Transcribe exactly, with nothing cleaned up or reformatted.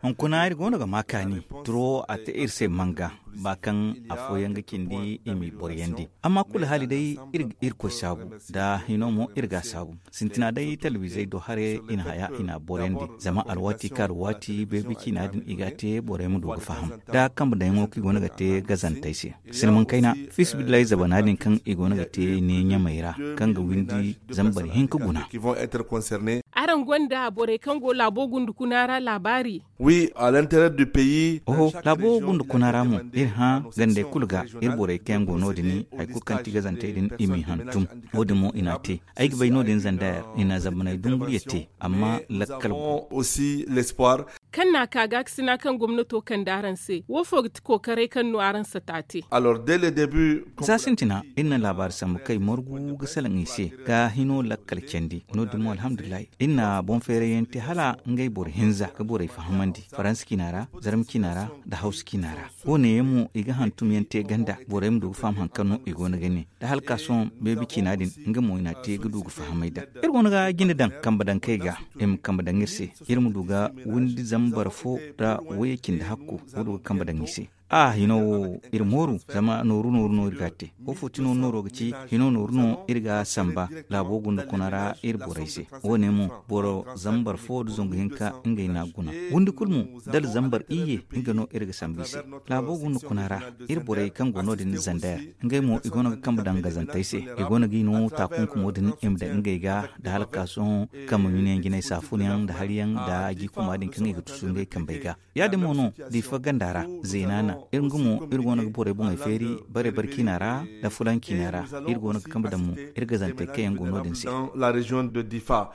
Hunkuna iri goono ga ma kaani turo a te iri se manga ba kaŋ afooyaŋ ga cindi i m'i boroyandi. Amma kulu haali day iri ga irkoy saabu, da hino mo iri g'a saabu. Sintina day talabizey do haray i na haya i n'a boroyandi. Zama alwaati kaŋ alwaati beebi ciina din i g'a te borey ma du ga faham da kambe daŋyaŋo kaŋ i goono ga te gazantey se. Silmaŋ kayna, fiisabilillahi zabana din kaŋ i goono ga te ne ɲamey ra, kaŋ ga windi zambar hinka guna. Araŋ gonda borey kaŋ go laabo gundukuna ra laabaari? Oho, laabo gundukuna ra mo iri hã gandey kulu ga, iri borey kaŋ yaŋ go no- din, hari kulu kaŋ ti gazantey din i m'i hantum. Wo- din mo i n'a te. Ay ga bay no- din zandayar i na zambaney dunguriya te, amma lakkal go. Kaŋ n'a ka gaakasina kaŋ gomnato kande araŋ se, wo fo ga ti kookaray kaŋ no araŋ sata te? Za sintina, iri na laabaari sambu kaŋ ay margu ga salaŋ i se, ga hino lakkal candi. No- din mo alhamdulillahi, iri na boŋ feerayyaŋ te hala ngey boro hinza ga borey fahamandi faransa ciina ra, zarma ciina ra, nda hawsa ciina ra. Wo- ne yaŋ mo i ga hantum yaŋ te ganda borey ma du ga faham hari kaŋ no i goono ga ne. Da hala ka sohõ beebi ciina din, nga mo i n'a te ga du ga fahamay daŋ. Iri goono ga jine daŋ kambe daŋ kay ga, i ma kambe daŋ iri se. Iri ma du ga windi zambar fo nda wayye cindi hakku, ga du ga kambe daŋ i se. A hino wo, iri mooru zama nooru nooru no iri g'a te. Wo fo ti no nooro ga ci? Hino nooru no iri g'a samba laabo gundukuna ra iri borey se. Wo- ne mo, boro zambar fo nda zangu hinka ngey n'a guna. Windi kulu mo, dala zambar iyye, nga no iri ga samba i se. Laabo gundukuna ra, iri borey kaŋ go no- din zandayar, ngey mo i goono ga kambe daŋ gazantey se. I goono g'i no taakunkumo din i ma daŋ ngey ga, nda hala ka sohõ kambe ɲunayaŋ jinay saafunayaŋ nda hariyaŋ nda jiikuma din kaŋ i ga tusu ngey kambey ga. Ya- din mo no, diifa ganda ra, zeenaana, iri nga mo iri goono ga borey boŋey feeri, bare bare ciina ra, nda fulan ciina ra. Iri goono ga kambe daŋ mo iri gazantey kaŋ yaŋ go no- din se.